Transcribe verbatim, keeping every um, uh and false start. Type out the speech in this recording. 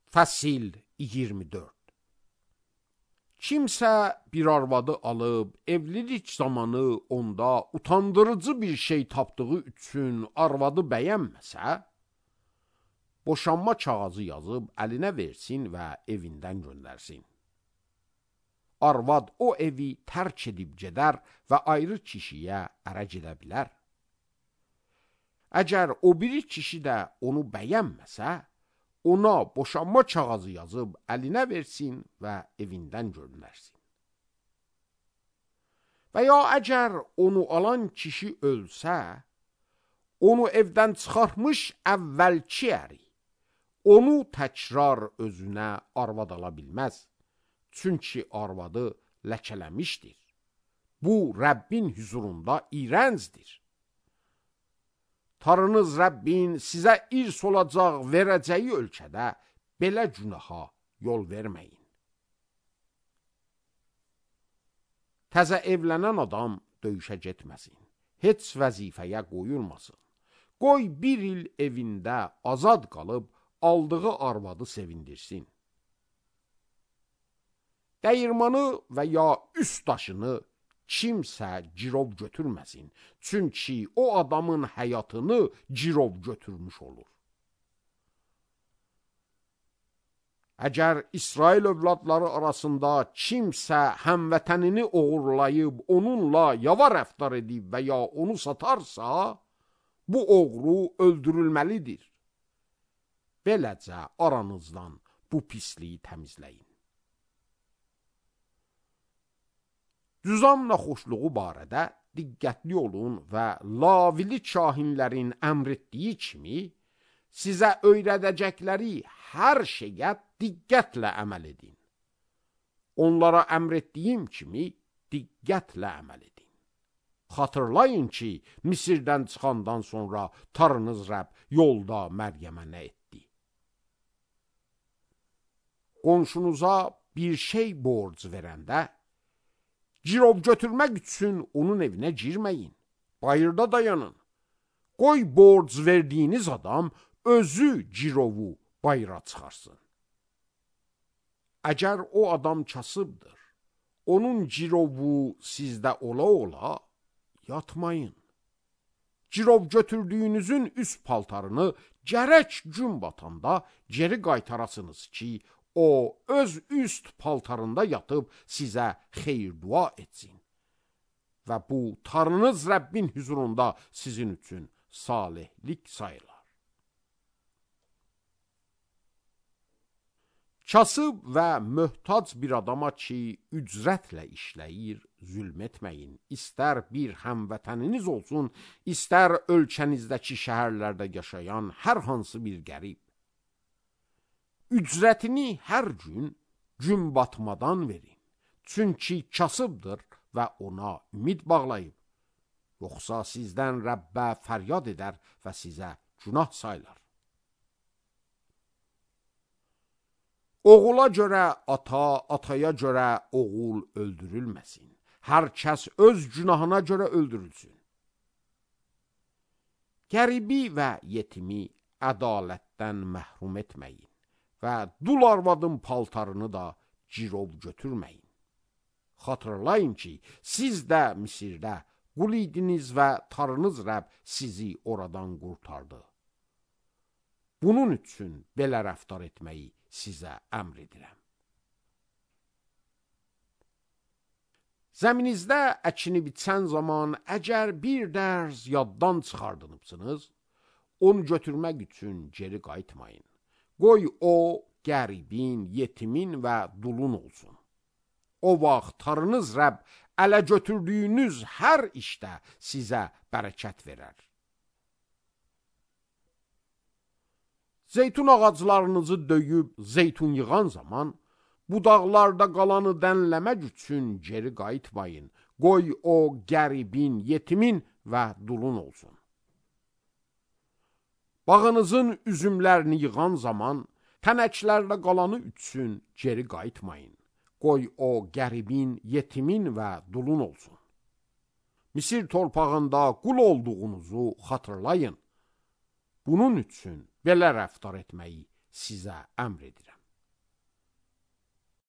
Fəsil iyirmi dörd. Kimsə bir arvadı alıb, evlilik zamanı onda utandırıcı bir şey tapdığı üçün arvadı bəyənməsə, boşanma kağızı yazıb əlinə versin və evindən göndərsin. Arvad o evi tərk edib gedər və ayrı kişiyə ərə gedə bilər. Əgər o biri kişi də onu bəyənməsə, ona boşanma kağızı yazıb əlinə versin və evindən göndərsin. Və ya əgər onu alan kişi ölsə, onu evdən çıxarmış əvvəlki əri, onu təkrar özünə arvad ala bilməz. Çünki arvadı ləkələmişdir. Bu, Rəbbin hüzurunda iyrəncdir. Tanrınız Rəbbin sizə irs olacaq verəcəyi ölkədə belə günaha yol verməyin. Təzə evlənən adam döyüşə getməsin. Heç vəzifəyə qoyulmasın. Qoy bir il evində azad qalıb aldığı arvadı sevindirsin. Dəyirmanı və ya üst daşını kimsə girov götürməsin. Çünki o adamın həyatını girov götürmüş olur. Əgər İsrail övladları arasında kimsə həmvətənini oğurlayıb, onunla yava rəftar edib və ya onu satarsa, bu oğru öldürülməlidir. Beləcə aranızdan bu pisliyi təmizləyin. Düzam naxoşluğu barədə diqqətli olun və lavili kahinlərin əmr etdiyi kimi sizə öyrədəcəkləri hər şeyə diqqətlə əməl edin. Onlara əmr etdiyim kimi diqqətlə əməl edin. Xatırlayın ki, Misirdən çıxandan sonra Tanrınız Rəbb yolda Məryəmə nə etdi? Qonşunuza bir şey borc verəndə, girov götürmək üçün onun evinə girməyin. Bayırda dayanın. Qoy borc verdiyiniz adam özü girovu bayıra çıxarsın. Əgər o adam kasıbdır, onun girovu sizdə ola-ola yatmayın. Girov götürdüyünüzün üst paltarını gərək gün batanda geri qaytarasınız ki, o öz üst paltarında yatıb sizə xeyir dua etsin. Və bu, Tanrınız Rəbbin hüzurunda sizin üçün salihlik sayılar. Kasıb və möhtac bir adama ki, ücrətlə işləyir, zülm etməyin. İstər bir həmvətəniniz olsun, istər ölkənizdəki şəhərlərdə yaşayan hər hansı bir qərib. Ücrətini hər gün gün batmadan verin. Çünki kasıbdır və ona ümid bağlayıb. Yoxsa sizdən Rəbbə fəryad edər və sizə günah saylar. Oğula görə ata, ataya görə oğul öldürülməsin. Hər kəs öz günahına görə öldürülsün. Qəribi və yetimi ədalətdən məhrum etməyin. Və dul arvadın paltarını da girov götürməyin. Xatırlayın ki, siz də Misirdə qul idiniz və Tanrınız Rəbb sizi oradan qurtardı. Bunun üçün belə rəftar etməyi sizə əmr edirəm. Zəminizdə əkini biçən zaman əgər bir dərz yaddan çıxardınıbsınız, onu götürmək üçün geri qayıtmayın. Qoy o, qəribin, yetimin və dulun olsun. O vaxt Tanrınız Rəbb ələ götürdüyünüz hər işdə sizə bərəkət verər. Zeytun ağaclarınızı döyüb zeytun yığan zaman, budaqlarda qalanı dənləmək üçün geri qayıtmayın. Qoy o, qəribin, yetimin və dulun olsun. Bağınızın üzümlərini yığan zaman, tənəklərdə qalanı üçün geri qayıtmayın. Qoy o, qəribin, yetimin və dulun olsun. Misir torpağında qul olduğunuzu xatırlayın. Bunun üçün belə rəftar etməyi sizə əmr edirəm.